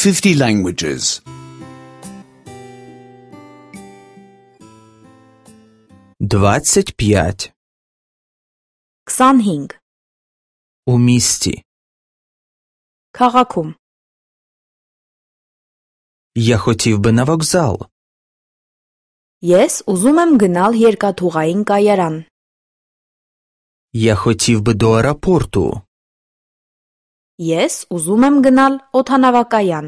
50 languages. 25. 25. У місті. Քաղաքում. Я хотів би на вокзал. Ես ուզում եմ գնալ երկաթուղային կայարան. Я хотів би до аеропорту. Ես ուզում եմ գնալ օդանավակայան.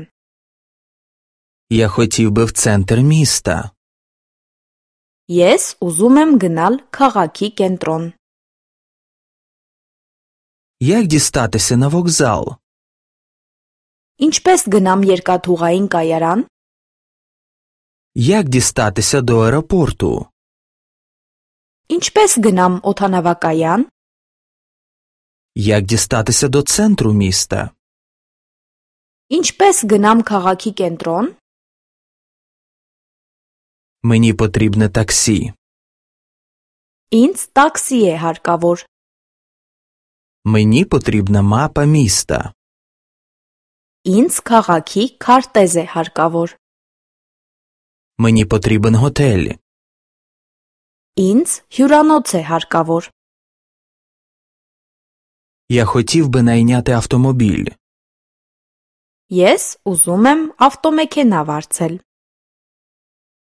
Я хотів би в центр міста. Ես ուզում եմ գնալ քաղաքի կենտրոն. Як дістатися на вокзал? Ինչպես գնամ երկաթուղային կայարան? Як дістатися до аеропорту? Ինչպես գնամ օդանավակայան? Як дістатися до центру міста? Ինչպես գնամ քաղաքի կենտրոն? Мені потрібне таксі. Ինձ տաքսի է հարկավոր. Мені потрібна мапа міста. Ինձ քաղաքի քարտեզ է հարկավոր. Мені потрібен готель. Ինձ հյուրանոց է հարկավոր. Я хотів би найняти автомобіль. Ես ուզում եմ ավտոմեքենա վարձել.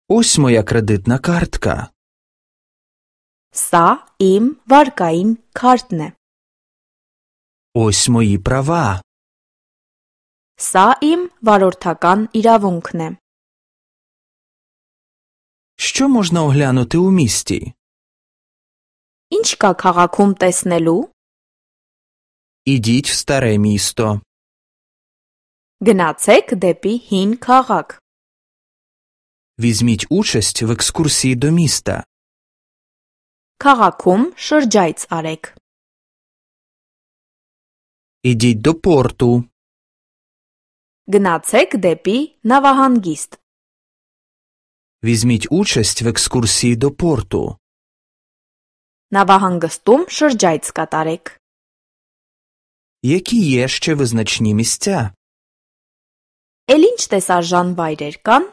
Ось моя кредитна картка. Սա իմ վարկային քարտն է. Ось мої права. Սա իմ վարորդական իրավունքն է. Що можна оглянути у місті? Ինչ կա քաղաքում տեսնելու? Ідіть в старе місто. Գնացեք դեպի հին քաղաք. Візьміть участь в екскурсії до міста. Քաղաքում շրջայց արեք. Ідіть до порту. Գնացեք դեպի նավահանգիստ. Візьміть участь в екскурсії до порту. Նավահանգստում շրջայց կատարեք. Які є ще визначні місця? Էլ ինչ տեսարժան վայրեր կան?